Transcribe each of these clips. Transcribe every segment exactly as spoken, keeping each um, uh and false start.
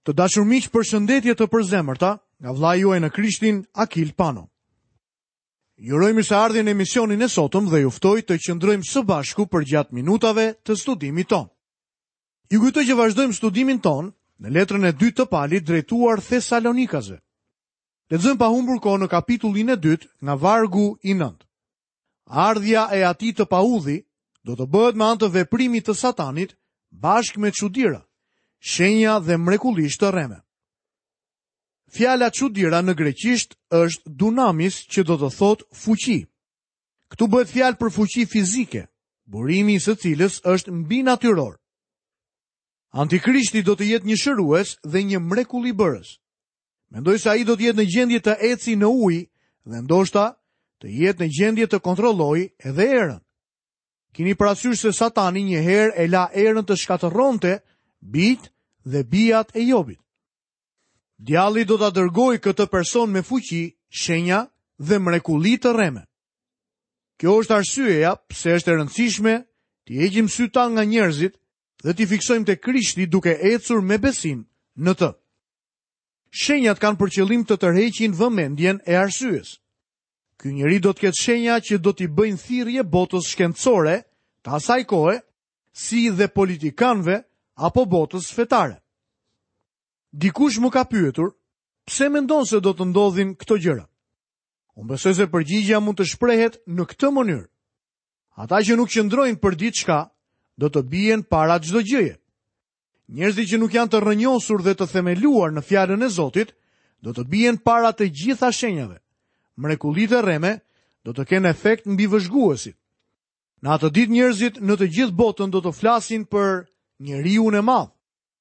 Të dashur miq, përshëndetje të përzemërta nga vllai juaj në Krishtin, Akil Pano. Ju uroj mirëseardhjen në emisionin e sotëm dhe ju ftoj të qëndrojmë së bashku përgjatë minutave të studimit tonë. Ju kujtoj që vazhdojmë studimin tonë në letrën e dytë të Palit drejtuar Thesalonikasve. Lexojmë pa humbur kohë në kapitullin e dytë nga vargu i nëntë. Ardhja e atij të paudhi do të bëhet me anë të veprimit të Satanit bashkë me çudira, shenja dhe mrekullish të rreme. Fjala çudira në greqisht është dunamis, që do të thotë fuqi. Këtu bëhet fjalë për fuqi fizike, burimi i së cilës është mbinatyror. Antikrishti do të jetë një shërues dhe një mrekullibërës. Mendoj se ai do të jetë në gjendje të eci në ujë dhe ndoshta të jetë në gjendje të kontrollojë edhe erën. Kini parasysh se Satani një herë e la erën të shkatërronte bijt dhe bijat e Jobit. Djalli do ta dërgojë këtë person me fuqi, shenja dhe mrekulli të rreme. Kjo është arsyeja pse është e rëndësishme t'i heqim sytë tanë nga njerëzit dhe t'i fiksojmë te Krishti duke ecur me besim në të. Shenjat kanë për qëllim të tërheqin vëmendjen e arsyes. Ky njeri do të ketë shenja që do t'i bëjnë thirrje botës shkencore të asaj kohe, si dhe politikanëve apo botës fetare. Dikush më ka pyetur, pse mendon se do të ndodhin këto gjëra? Unë besoj se përgjigjja mund të shprehet në këtë mënyrë. Ata që nuk qëndrojnë për diçka, do të bien para çdo gjëje. Njerëzit që nuk janë të rrënjosur dhe të themeluar në fjalën e Zotit, do të bien para të gjitha shenjave. Mrekullitë e rreme do të kenë efekt mbi vëzhguesit. Në atë ditë njerëzit në të gjithë botën do të flasin për njeriun e madh,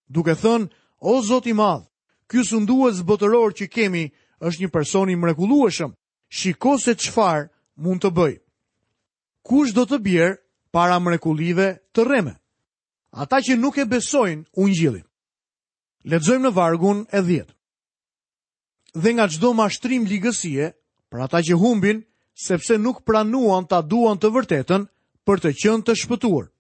duke thënë: O Zot i madh, ky sundues botëror që kemi është një person i mrekullueshëm. Shiko se çfarë mund të bëj. Kush do të bjerë para mrekullive të rreme? Ata që nuk e besojnë ungjillin. Lexojmë në vargun e dhjetë. Dhe nga çdo mashtrim ligësie, për ata që humbin, sepse nuk pranuan ta duan të vërtetën për të qenë të shpëtuar.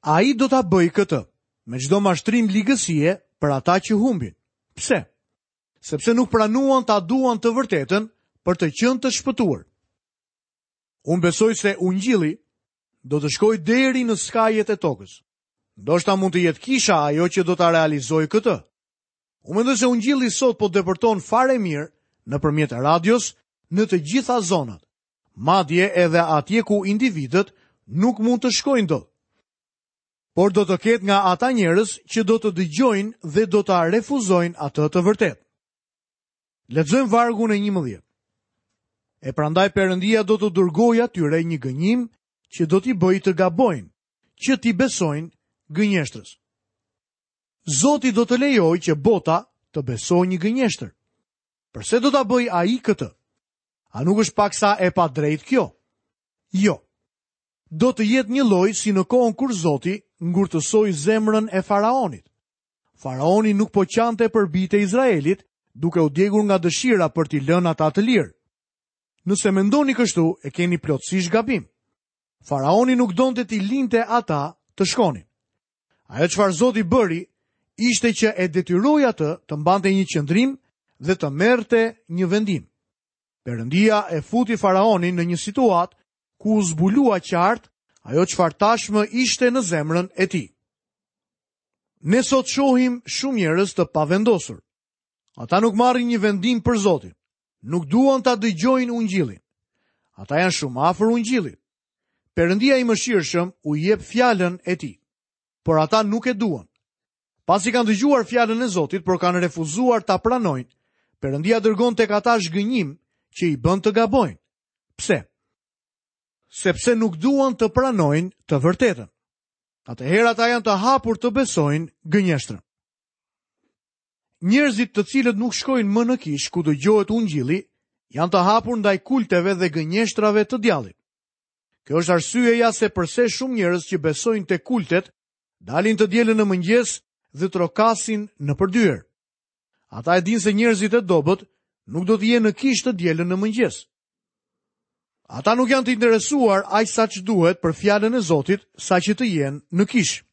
Ai do ta bëjë këtë me çdo mashtrim ligësie për ata që humbin. Pse? Sepse nuk pranuan ta duan të vërtetën për të qenë të shpëtuar. Unë besoj se ungjilli do të shkojë deri në skajet e tokës. Ndoshta mund të jetë kisha ajo që do ta realizojë këtë. Unë mendoj se ungjilli sot po depërton fare mirë nëpërmjet radios në të gjitha zonat, madje edhe atje ku individët nuk mund të shkojnë dot. Por do të ketë nga ata njerëz që do të dëgjojnë dhe do ta refuzojnë atë të vërtetë. Lexojmë vargun e njëmbëdhjetë. E prandaj Perëndia do të dërgojë atyre një gënjim që do t'i bëjë të gabojnë, që t'i besojnë gënjeshtrës. Zoti do të lejojë që bota të besojë një gënjeshtër. Përse do ta bëjë ai këtë? A nuk është paksa e padrejtë kjo? Jo. Do të jetë një lloj si në kohën kur Zoti ngurtësoi zemrën e faraonit. Faraoni nuk po qante për bijtë e Izraelit, duke u djegur nga dëshira për t'i lënë ata të lirë. Nëse mendoni kështu, e keni plotësisht gabim. Faraoni nuk donte t'i linte ata të shkonin. Ajo çfarë Zoti bëri ishte që e detyroi atë të mbante një qëndrim dhe të merrte një vendim. Perëndia e futi faraonin në një situatë ku u zbulua qartë ajo çfarë tashmë ishte në zemrën e tij. Ne sot shohim shumë njerëz të pavendosur. Ata nuk marrin një vendim për Zotin. Nuk duan ta dëgjojnë ungjillin. Ata janë shumë afër ungjillit. Perëndia i mëshirshëm u jep fjalën e tij, por ata nuk e duan. Pasi kanë dëgjuar fjalën e Zotit, por kanë refuzuar ta pranojnë, Perëndia dërgon tek ata zhgënjim që i bën të gabojnë. Pse? Sepse nuk duan të pranojnë të vërtetën. Atëherë ata janë të hapur të besojnë gënjeshtrën. Njerëzit të cilët nuk shkojnë më në kishë ku dëgjohet ungjilli, janë të hapur ndaj kulteve dhe gënjeshtrave të djallit. Kjo është arsyeja se përse shumë njerëz që besojnë te kultet dalin të dielën në mëngjes dhe trokasin nëpër dyer. Ata e dinë se njerëzit e dobët nuk do të jenë në kishë të dielën në mëngjes. Ata nuk janë të interesuar aq sa ç'duhet për fjalën e Zotit, sa që të jenë në kishë.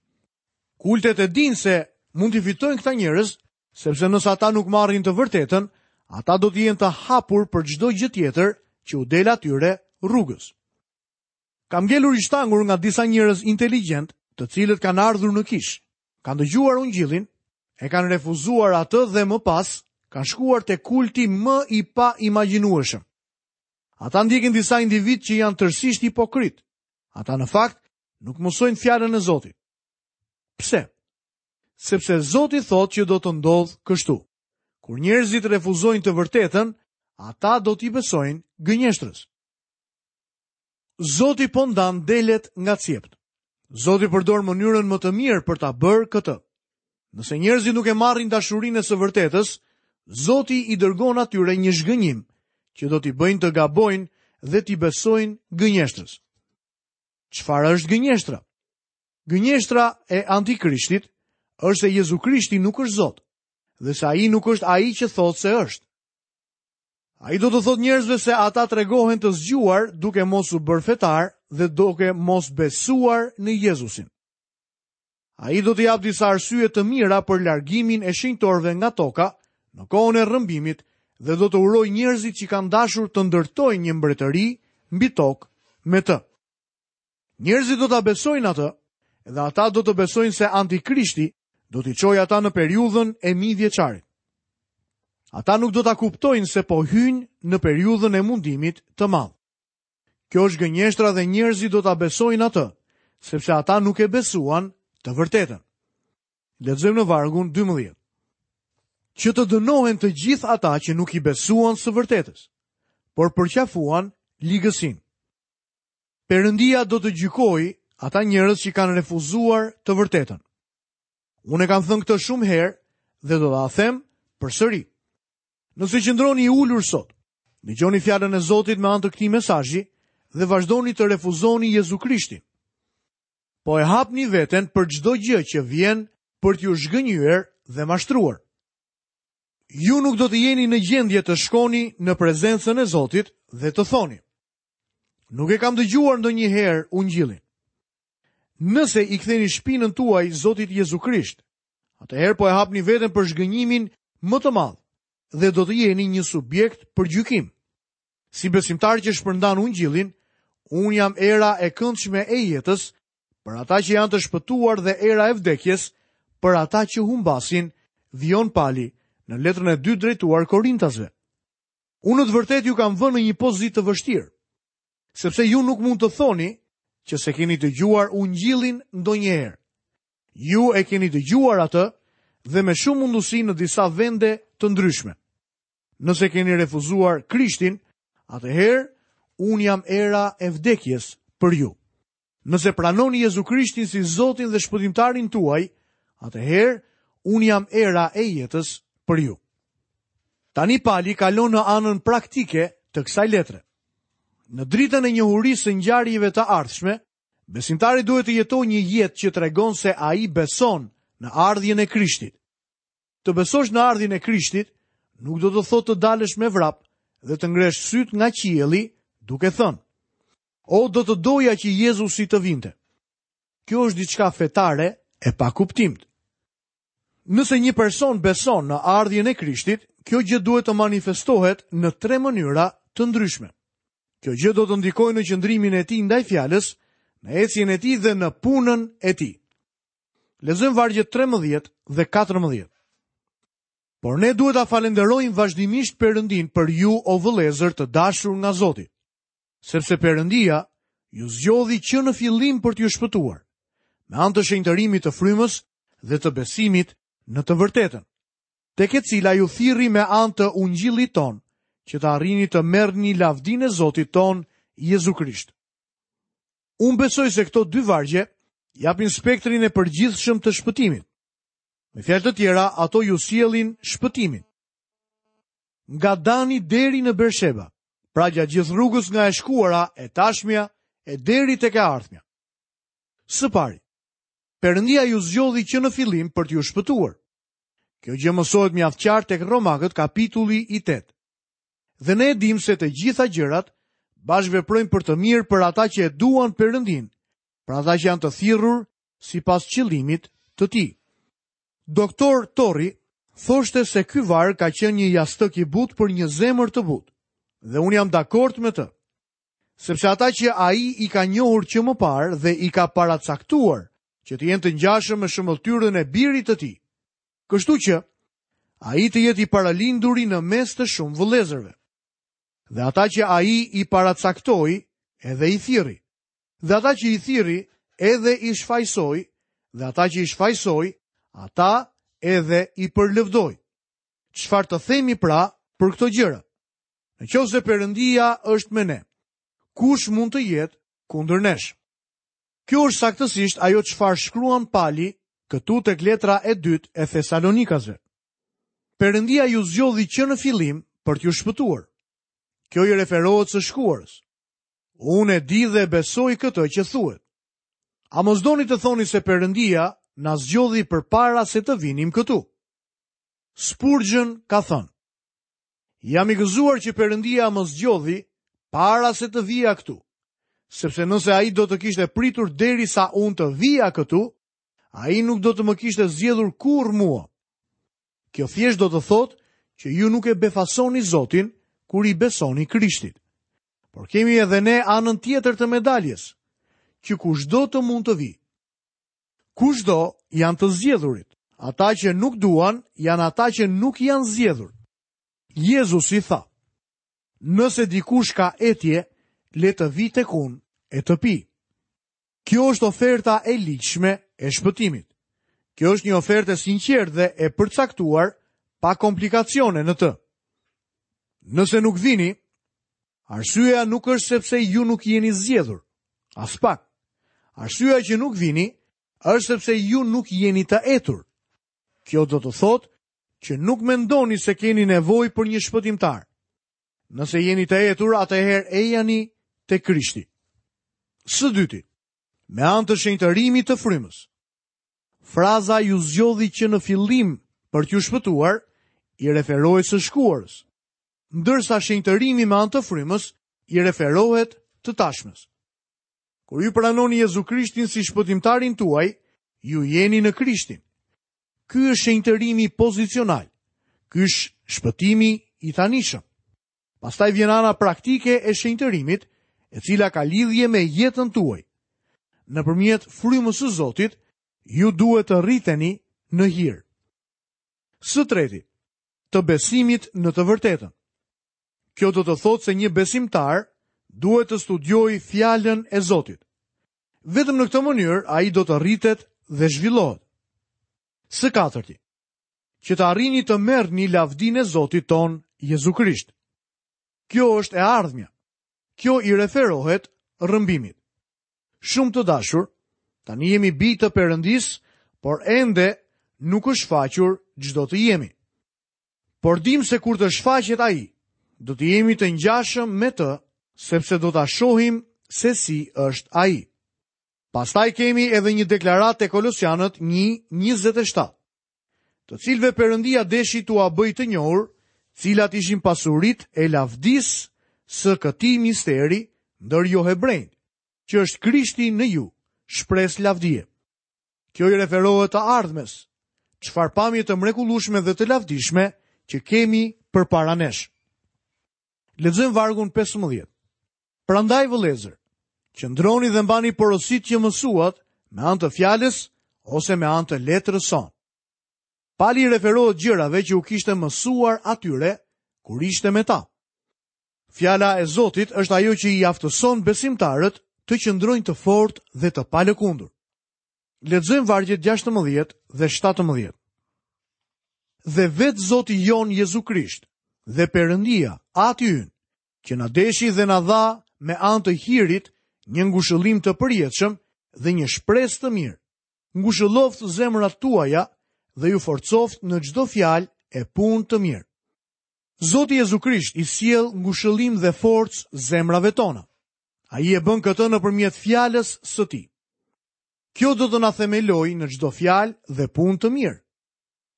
Kultet e dinë se mund t'i fitojnë këta njerëz, sepse nëse ata nuk marrin të vërtetën, ata do të jenë të hapur për çdo gjë tjetër që u del atyre rrugës. Kam ngelur i shtangur nga disa njerëz inteligjent, të cilët kanë ardhur në kishë, kanë dëgjuar ungjillin, e kanë refuzuar atë dhe më pas kanë shkuar te kulti më i paimagjinueshëm. Ata ndjekin disa individ që janë tërësisht hipokrit. Ata në fakt nuk mësojnë fjalën e Zotit. Pse? Sepse Zoti thotë që do të ndodhë kështu. Kur njerëzit refuzojnë të vërtetën, ata do t'i besojnë gënjeshtrës. Zoti po ndan delet nga cjept. Zoti përdor mënyrën më të mirë për ta bërë këtë. Nëse njerëzit nuk e marrin dashurinë e së vërtetës, Zoti i dërgon atyre një zhgënjim që do t'i bëjnë të gabojnë dhe t'i besojnë gënjeshtrës. Çfarë është gënjeshtra? Gënjeshtra e antikrishtit është se Jezu Krishti nuk është Zot dhe se ai nuk është ai që thotë se është. Ai do të thotë njerëzve se ata tregohen të zgjuar duke mos u bërë fetar dhe duke mos besuar në Jezusin. Ai do të japë disa arsye të mira për largimin e shenjtorëve nga toka në kohën e rrëmbimit dhe do të urojë njerëzit që kanë dashur të ndërtojnë një mbretëri mbi tokë me të. Njerëzit do ta besojnë atë dhe ata do të besojnë se antikrishti do t'i çojë ata në periudhën e mijëvjeçarit. Ata nuk do ta kuptojnë se po hyjnë në periudhën e mundimit të madh. Kjo është gënjeshtra dhe njerëzit do ta besojnë atë, sepse ata nuk e besuan të vërtetën. Lexojmë në vargun dymbëdhjetë. Që të dënohen të gjithë ata që nuk i besuan së vërtetës, por përqafuan ligësinë. Perëndia do të gjykojë ata njerëz që kanë refuzuar të vërtetën. Unë e kam thënë këtë shumë herë dhe do ta them përsëri. Nëse qëndroni i ulur sot, dëgjoni fjalën e Zotit me anë të këtij mesazhi dhe vazhdoni të refuzoni Jezu Krishtin. Po e hapni veten për çdo gjë që vjen për t'ju zhgënjyer dhe mashtruar. Ju nuk do të jeni në gjendje të shkoni në prezencën e Zotit dhe të thoni: Nuk e kam dëgjuar ndonjëherë ungjillin. Nëse i ktheni shpinën tuaj Zotit Jezu Krisht, atëherë po e hapni veten për zhgënjimin më të madh dhe do të jeni një subjekt për gjykim. Si besimtar që shpërndan ungjillin, unë jam era e këndshme e jetës për ata që janë të shpëtuar dhe era e vdekjes për ata që humbasin, vijon Pali në letrën e dytë drejtuar Korintasve. Unë në të vërtetë ju kam vënë në një pozitë të vështirë, sepse ju nuk mund të thoni që se keni dëgjuar ungjillin ndonjëherë. Ju e keni dëgjuar atë dhe me shumë mundësi në disa vende të ndryshme. Nëse keni refuzuar Krishtin, atëherë unë jam era e vdekjes për ju. Nëse pranoni Jezu Krishtin si Zotin dhe Shpëtimtarin tuaj, atëherë unë jam era e jetës për ju. Tani Pali kalon në anën praktike të kësaj letre. Në dritën e njohurisë së ngjarjeve të ardhshme, besimtari duhet të jetojë një jetë që tregon se ai beson në ardhjen e Krishtit. Të besosh në ardhjen e Krishtit nuk do të thotë të dalësh me vrap dhe të ngresh syt nga qielli duke thënë: O, do të doja që Jezusi të vinte. Kjo është diçka fetare e pakuptimtë. Nëse një person beson në ardhjen e Krishtit, kjo gjë duhet të manifestohet në tre mënyra të ndryshme. Kjo gjë do të ndikojë në qëndrimin e tij ndaj fjalës, në ecjen e tij dhe në punën e tij. Lexojmë vargjet trembëdhjetë dhe katërmbëdhjetë. Por ne duhet ta falenderojmë vazhdimisht Perëndin për ju, o vëllezër të dashur nga Zoti, sepse Perëndia ju zgjodhi që në fillim për t'ju shpëtuar, me anë të shenjtërimit të frymës dhe të besimit në të vërtetën, tek e cila ju thirri me anë të ungjillit ton, që të arrini të merrni lavdinë e Zotit ton, Jezu Krisht. Unë besoj se këto dy vargje japin spektrin e përgjithshëm të shpëtimit. Me fjalë të tjera, ato ju sjellin shpëtimin. Nga Dani deri në Bersheba, pra gjatë gjithë rrugës nga e shkuara, e tashmja, e deri tek e ardhmja. Së pari, Perëndia ju zgjodhi që në fillim për t'ju shpëtuar. Kjo gjë mësohet mjaft qartë tek Romakët kapitulli i tetë. Dhe ne e dim se të gjitha gjërat bashkëveprojnë për të mirë për ata që e duan Perëndin, për ata që janë të thirrur sipas qëllimit të tij. Doktor Torri thoshte se ky varg ka qenë një jastëk i butë për një zemër të butë, dhe unë jam dakord me të. Sepse ata që ai i ka njohur që më parë dhe i ka paracaktuar që të jenë të ngjashëm me shëmbëlltyrën e birit të tij. Kështu që ai të jetë i paralinduri në mes të shumë vëllezërve. Dhe ata që ai i paracaktoi, edhe i thirri. Dhe ata që i thirri, edhe i shfajsoi, dhe ata që i shfajsoi, ata edhe i përlëvdoi. Çfarë të themi pra për këto gjëra? Në qoftë se Perëndia është me ne, kush mund të jetë kundër nesh? Kjo është saktësisht ajo çfarë shkruan Pali këtu tek letra e dytë e Thesalonikasve. Perëndia ju zgjodhi që në fillim për t'ju shpëtuar. Kjo i referohet së shkuarës. Unë e di dhe besoj këtë që thuhet. A mos doni të thoni se Perëndia na zgjodhi përpara se të vinim këtu? Spurgeon ka thënë: Jam i gëzuar që Perëndia më zgjodhi para se të vija këtu, sepse nëse ai do të kishte pritur derisa unë të vija këtu, ai nuk do të më kishte zgjedhur kurrë mua. Kjo thjesht do të thotë që ju nuk e befasoni Zotin kur i besoni Krishtit. Por kemi edhe ne anën tjetër të medaljes, që kushdo të mund të vijë. Kushdo janë të zgjedhurit, ata që nuk duan janë ata që nuk janë zgjedhur. Jezusi tha: Nëse dikush ka etje, le të vijë tek unë e të pi. Kjo është oferta e ligjshme e shpëtimit. Kjo është një ofertë e sinqertë dhe e përcaktuar pa komplikacione në të. Nëse nuk vini, arsyeja nuk është sepse ju nuk jeni zgjedhur. Aspak. Arsyeja që nuk vini është sepse ju nuk jeni të etur. Kjo do të thotë që nuk mendoni se keni nevojë për një shpëtimtar. Nëse jeni të etur, atëherë ejani te Krishti. Së dyti, me anë të shenjtërimit të frymës. Fraza ju zgjodhi që në fillim për t'ju shpëtuar i referohet së shkuarës, ndërsa shenjtërimi me anë të frymës i referohet të tashmes. Kur ju pranoni Jezu Krishtin si shpëtimtarin tuaj, ju jeni në Krishtin. Ky është shenjtërimi pozicional. Ky është shpëtimi i tanishëm. Pastaj vjen ana praktike e shenjtërimit, e cila ka lidhje me jetën tuaj. Nëpërmjet frymës së Zotit, ju duhet të rriteni në hir. Së treti, të besimit në të vërtetën. Kjo do të thotë se një besimtar duhet të studiojë fjalën e Zotit. Vetëm në këtë mënyrë ai do të rritet dhe zhvillohet. Së katërti, që të arrini të merrni lavdinë e Zotit ton Jezu Krisht. Kjo është e ardhmja. Kjo i referohet rrëmbimit. Shumë të dashur, tani jemi bij të Perëndisë, por ende nuk është shfaqur ç'do të jemi. Por dim se kur të shfaqet ai, do të jemi të ngjashëm me të, sepse do ta shohim se si është ai. Pastaj kemi edhe një deklaratë te Kolosianët një njëzet e shtatë, të cilëve Perëndia deshi t'ua bëj të njohur cilat ishin pasuritë e lavdisë së këtij misteri ndër jo hebrejt, që është Krishti në ju, shpresë lavdie. Kjo i referohet të ardhmes, çfarë pamje të mrekullueshme dhe të lavdishme që kemi përpara nesh. Lexojmë vargun pesëmbëdhjetë. Prandaj vëllezër, qëndroni dhe mbani porositë që mësuat me anë të fjalës ose me anë të letrës sonë. Pali i referohet gjërave që u kishte mësuar atyre kur ishte me ta. Fjala e Zotit është ajo që i aftëson besimtarët të qëndrojnë të fortë dhe të palëkundur. Lexojmë vargjet gjashtëmbëdhjetë dhe shtatëmbëdhjetë. Dhe vetë Zoti jon Jezu Krisht dhe Perëndia, Ati ynë, që na deshi dhe na dha me anë të hirit një ngushëllim të përjetshëm dhe një shpresë të mirë. Ngushëlloft zemrat tuaja dhe ju forcoft në çdo fjalë e punë të mirë. Zoti Jezu Krisht i sjell ngushëllim dhe forcë zemrave tona. Ai e bën këtë nëpërmjet fjalës së tij. Kjo do të na themelojë në çdo fjalë dhe punë të mirë.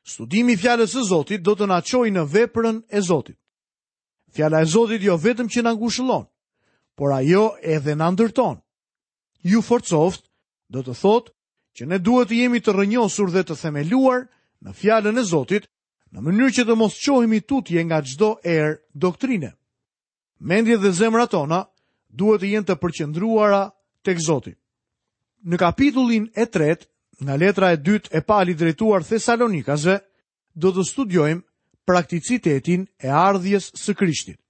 Studimi i fjalës së Zotit do të na çojë në veprën e Zotit. Fjala e Zotit jo vetëm që na ngushëllon, por ajo edhe na ndërton. Ju forcoft do të thotë që ne duhet të jemi të rrënjosur dhe të themeluar në fjalën e Zotit, në mënyrë që të mos çohemi tutje nga çdo erë doktrine. Mendjet dhe zemrat tona duhet të jenë të përqendruara tek Zoti. Në kapitullin e tretë, nga letra e dytë e Palit drejtuar Thesalonikasve, do të studiojmë prakticitetin e ardhjes së Krishtit.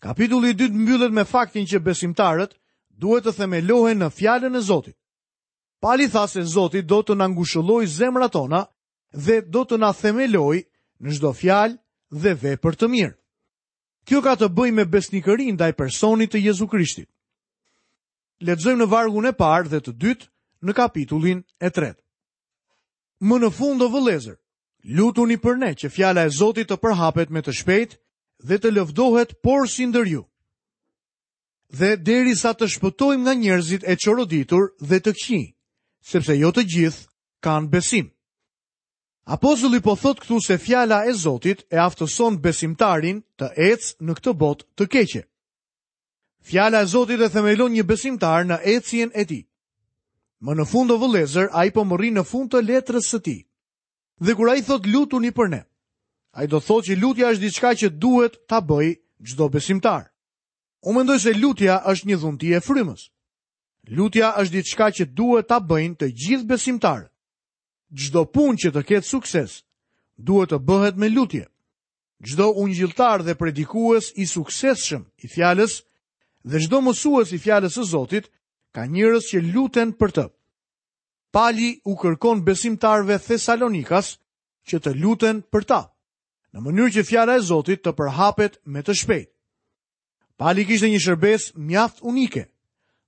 Kapitulli i dytë mbyllet me faktin që besimtarët duhet të themelohen në fjalën e Zotit. Pali tha se Zoti do të na ngushëllojë zemrat tona dhe do të na themelojë në çdo fjalë dhe vepër të mirë. Kjo ka të bëjë me besnikërinë ndaj personit të Jezu Krishtit. Lexojmë në vargun e parë dhe të dytë në kapitullin e tretë. Më në fund, o vëllezër, lutuni për ne që fjala e Zotit të përhapet me të shpejtë dhe të lëvdohet porsi ndër ju. Dhe derisa të shpëtojmë nga njerëzit e çoroditur dhe të këqij, sepse jo të gjithë kanë besim. Apostulli po thot këtu se fjala e Zotit e aftëson besimtarin të ecë në këtë botë të keqe. Fjala e Zotit e themelon një besimtar në ecjen e tij. Më në fund, o vëllezër, ai po mbërrin në fund të letrës së tij. Dhe kur ai thot lutuni për ne, ai do thotë që lutja është diçka që duhet ta bëjë çdo besimtar. Unë mendoj se lutja është një dhunti e frymës. Lutja është diçka që duhet ta bëjnë të gjithë besimtarët. Çdo punë që të ketë sukses duhet të bëhet me lutje. Çdo ungjilltar dhe predikues i suksesshëm i fjalës dhe çdo mësues i fjalës së Zotit ka njerëz që luten për të. Pali u kërkon besimtarëve Thesalonikas që të luten për ta, në mënyrë që fjala e Zotit të përhapet me të shpejtë. Pali kishte një shërbesë mjaft unike.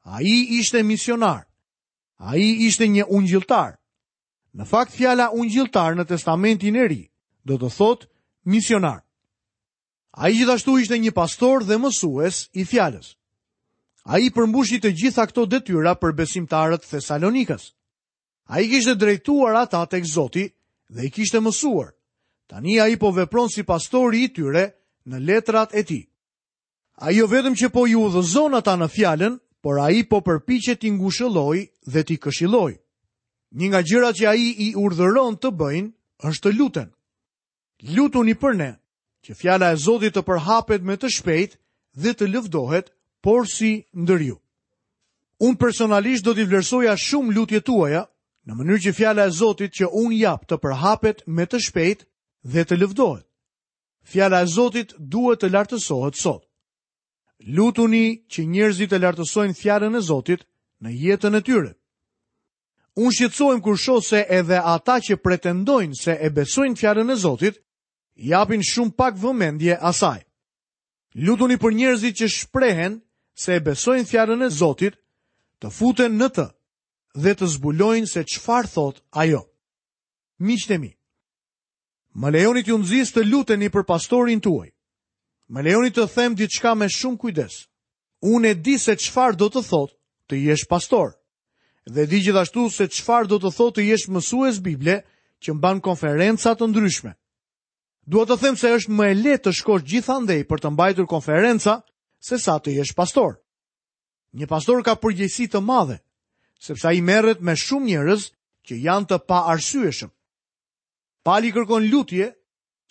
Ai ishte misionar. Ai ishte një ungjilltar. Në fakt, fjala ungjilltar në Testamentin e Ri do të thotë misionar. Ai gjithashtu ishte një pastor dhe mësues i fjalës. Ai përmbushi të gjitha këto detyra për besimtarët Thesalonikas. Ai kishte drejtuar ata tek Zoti dhe i kishte mësuar. Tani ai po vepron si pastori i tyre në letrat e tij. Ai jo vetëm që po i udhëzon ata në fjalën, por ai po përpiqet t'i ngushëllojë dhe t'i këshillojë. Një nga gjërat që ai i urdhëron të bëjnë është të luten. Lutuni për ne, që fjala e Zotit të përhapet me të shpejtë dhe të lëvdohet porsi ndër ju. Unë personalisht do t'i vlerësoja shumë lutjet tuaja, në mënyrë që fjala e Zotit që unë jap të përhapet me të shpejtë dhe të lëvdohet. Fjala e Zotit duhet të lartësohet sot. Lutuni që njerëzit të lartësojnë fjalën e Zotit në jetën e tyre. Unë shqetësohem kur shoh se edhe ata që pretendojnë se e besojnë fjalën e Zotit, japin shumë pak vëmendje asaj. Lutuni për njerëzit që shprehen se e besojnë fjalën e Zotit, të futen në të dhe të zbulojnë se çfarë thot ajo. Miqtë e mi, më lejoni t'ju nxis të luteni për pastorin tuaj. Më lejoni të them diçka me shumë kujdes. Unë e di se çfarë do të thotë të jesh pastor. Dhe di gjithashtu se çfarë do të thotë të jesh mësues Bible që mban konferenca të ndryshme. Dua të them se është më e lehtë të shkosh gjithandej për të mbajtur konferenca se sa të jesh pastor. Një pastor ka përgjegjësi të madhe, sepse ai merret me shumë njerëz që janë të paarsyeshëm. Pali kërkon lutje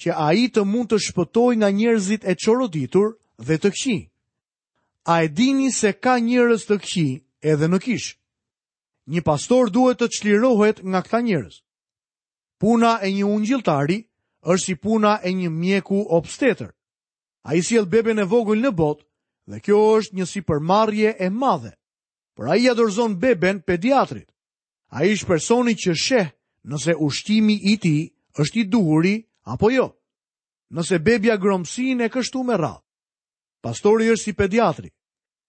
që ai të mund të shpëtojë nga njerëzit e çoroditur dhe të këqij. A e dini se ka njerëz të këqij edhe në kishë? Një pastor duhet të çlirohet nga këta njerëz. Puna e një ungjilltari është si puna e një mjeku obstetër. Ai sjell beben e vogël në botë dhe kjo është një sipërmarrje e madhe. Por ai ia dorëzon beben pediatrit. Ai është personi që sheh nëse ushqimi i tij është i duhuri apo jo. Nëse bebja gromsin e kështu me radhë. Pastori është si pediatri.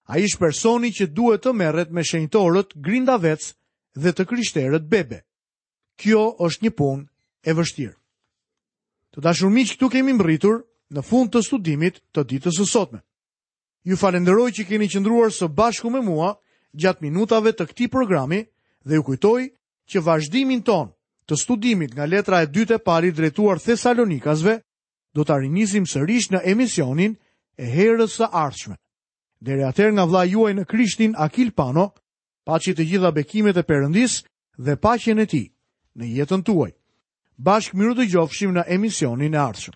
Ai është personi që duhet të merret me shenjtorët grindavec dhe të krishterët bebe. Kjo është një punë e vështirë. Të dashur miq, këtu kemi mbërritur në fund të studimit të ditës së sotme. Ju falenderoj që keni qëndruar së bashku me mua gjatë minutave të këtij programi dhe ju kujtoj që vazhdimin ton të studimit nga letra e dytë e Palit drejtuar Thesalonikasve do ta rinisim sërish në emisionin e herës së ardhshme. Deri atëherë nga vëllai juaj në Krishtin Akil Pano, paçi të gjitha bekimet e Perëndisë dhe paqen e tij në jetën tuaj. Bashkë mirudëgjofshim në emisionin e ardhshëm.